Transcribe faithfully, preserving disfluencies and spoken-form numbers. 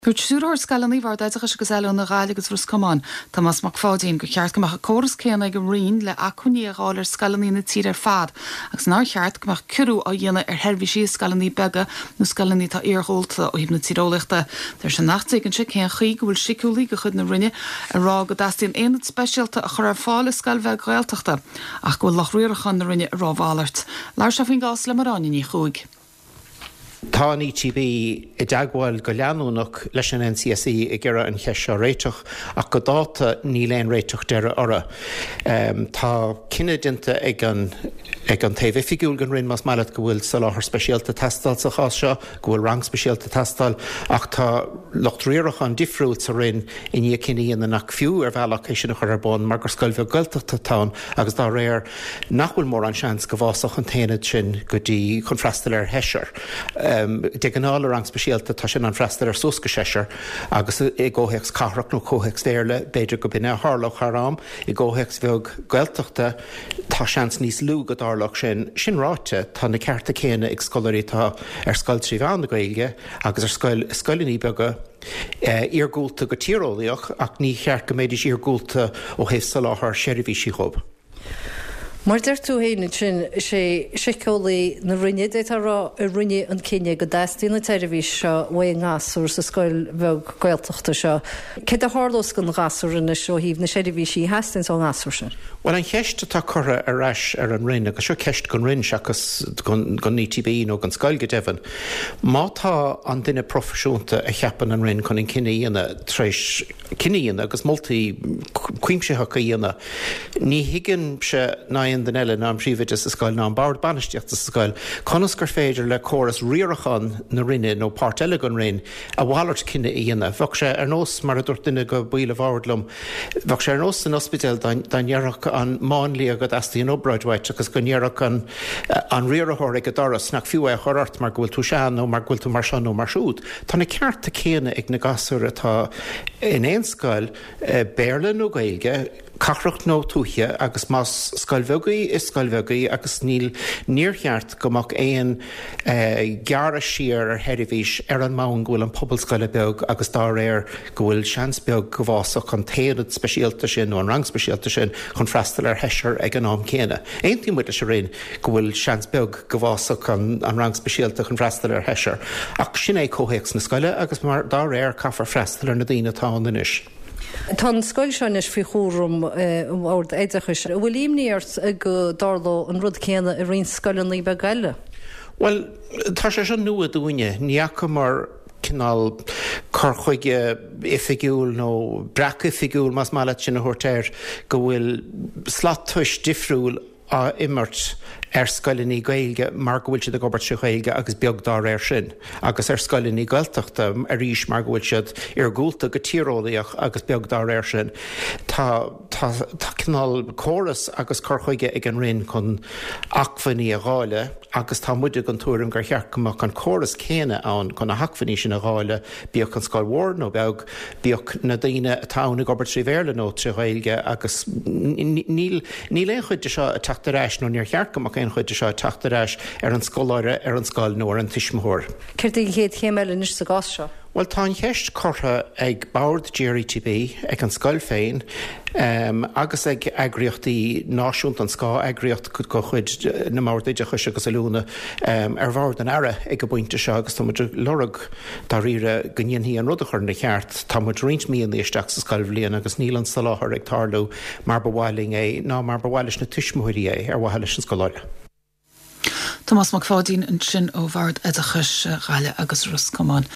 Dúirt Stiúrthóir Scoileanna Bhord Oideachais agus Oiliúna Ghaillimh agus Ros Comáin, Tomás Mac Pháidín, gur cheart go mbeadh an córas céanna ag an Roinn le acmhainní a dháileadh ar scoileanna na tíre ar fad, agus nár cheart go mbeadh ciorrú á dhéanamh ar sheirbhísí scoileanna beaga nó scoileanna atá iargúlta ó thaobh na tíreolaíochta. Deir sé nach dtuigeann sé cén chaoi go bhfuil síceolaí de chuid na Roinne ag rá go dteastaíonn aonad speisialta a chur ar fáil i scoil bheag Ghaeltachta, ach go bhfuil lucht riaracháin na Roinne ag rá a mhalairt. Labhair sé faoin gcás le Máire Áine Ní Chuaig. Tá an ETB i dteagmháil go leanúnach leis an NCSE ag iarraidh an cheist seo a réiteach ach go dáta níl aon réiteach deiridh uirthi. Um, tá cinneadh déanta ag an ag an taobh oifigiúil den Roinn más maith leat go bhfuil soláthar speisialta ag teastáil sa chás seo, go bhfuil rang speisialta ag teastáil ach tá lucht riaracháin difriúil sa Roinn i ndiaidh cinneadh a dhéanamh nach fiú ar bhealach é sin a chur ar bun mar gur scoil bheag Gaeltachta atá ann agus dá réir nach bhfuil mórán seans go bhfásfadh an t-aonad sin go dtí chun freastal ar sheisear. Um, de ghnáth le rang speisialta tá sin ag freastal ar suas go seisear agus i gcomhthéacs cathrach nó comhthéacs Béarla b'fhéidir go b'in a tharlódh thar am i gcomhthéacs bheag Gaeltachta tá seans níos lú go dtarlódh sin sin ráite tá na cearta céanna ag scoláirí atá ar scoil trí mheán na Gaeilge agus ar scoil scoileanna beaga eh, iargúlta go tíreolaíoch ach ní cheart go mbeidís iargúlta ó thaobh soláthar seirbhísí dhóibh. Mar deir tú féin sin sé síceolaí na Roinne d'fhéadfá a rá a rinne an cinneadh go dteastaíonn an tseirbhís seo uaidh an ngasúr sa scoil bheag Gaeltachta seo. Céard a tharlós don ghasúr anois ó thaobh na seirbhísí a theastaíonn ón ngasúr sin. Well an cheist atá curtha ar ais ar an Roinn agus seo ceist don Roinn seachas don ETB nó don scoil go deimhin. Má tá an duine proifisiúnta a cheapann an Roinn chun an cinneadh a dhéanamh tar éis cinneadh a dhéanamh agus moltaí cuimsitheacha a dhéanamh, ní thuigimse ná aon duine eile ná an príomhoide sa scoil ná an bord bainistíochta sa scoil, conas gur féidir le córas riaracháin na Roinne nó páirt eile den Roinn a mhalairt cinneadh a dhéanamh. Bheadh sé ar nós mar a dúirt duine de bhaill an bhoird liom, Bheadh sé ar nós san ospidéal dá ndéarfadh an máinlia go dteastaíonn obráid uait agus go ndéarfadh an an riarthóir ag an doras nach fiú é a chur ort mar go bhfuil tú sean nó mar go bhfuil tú mar seo nó mar siúd. Tá na cearta céanna ag na gasúir atá in aon scoil eh, Béarla nó Gaeilge, cathrach nó tuaithe agus más scoil bheag í is scoil bheag í agus níl níor cheart go mbeadh aon eh, gearradh siar ar sheirbhís ar an mbonn go bhfuil an pobal scoile beag agus dá réir go bhfuil seans beag go bhfásfadh an t-aonad speisialta sin nó an rang speisialta sin chun freastal ar sheisear ag an am céanna. Aontaíonn muid leis an Roinn go bhfuil seans beag go bhfásfadh an, an rang speisialta chun freastal ar sheisear. Ach sin é comhthéacs na scoile agus mar dá réir caithfear freastal ar na daoine atá ann anois. Tá an scoil seo anois faoi chúram an Bhoird Oideachais. An bhfuil imní ort go dtarlódh an rud céanna i roinnt scoileanna beaga eile. Well, tá sé seo nua dúinne, ní fhacamar cineál cur chuige oifigiúil nó breac oifigiúil más maith leat sin a thabhairt air go bhfuil slat tomhais difriúil á imirt ar scoileanna Gaeilge mar go bhfuil siad ag obair trí Ghaeilge agus beag dá réir sin, agus ar scoileanna Gaeltachta arís mar go bhfuil siad iargúlta go tíreolaíoch agus beag dá réir sin. Tá tá tá cineál córas agus cur chuige ag an Roinn chun acmhainní a dháileadh agus tá muide den tuairim gur cheart go mbeadh an córas céanna ann chun na hacmhainní sin a dháileadh, bíodh an scoil mhór nó beag, bíodh na daoine atá ann ag obair trí Bhéarla nó trí Ghaeilge agus níl níl aon chuid de seo ag teacht ar ais nó níor cheart go mbeadh aon chuid de seo ag teacht ar ais ar an scoláire, ar an scoil nó ar an tuismitheoir. Céard é an chéad chéim eile anois sa gcás seo? Well tá an cheist curtha ag Bord GRETB, ag an scoil féin, um, agus ag eagraíochtaí náisiúnta an scáth-eagraíocht de chuid na mBord Oideachais agus Oiliúna um, ar bhord an Aire ag an bpointe seo agus tá muid ag lorg dáiríre go ndéanfaí an rud a chur ina cheart tá muid roinnt míonna isteach sa scoilbhliain agus níl an soláthar ag tarlú mar ba mhaith linn é ná mar ba mhaith leis na tuismitheoirí é ar mhaithe leis an scoláire. Tomás Mac Pháidín ansin ó Bhord Oideachais Ghaillimh agus Ros Comáin.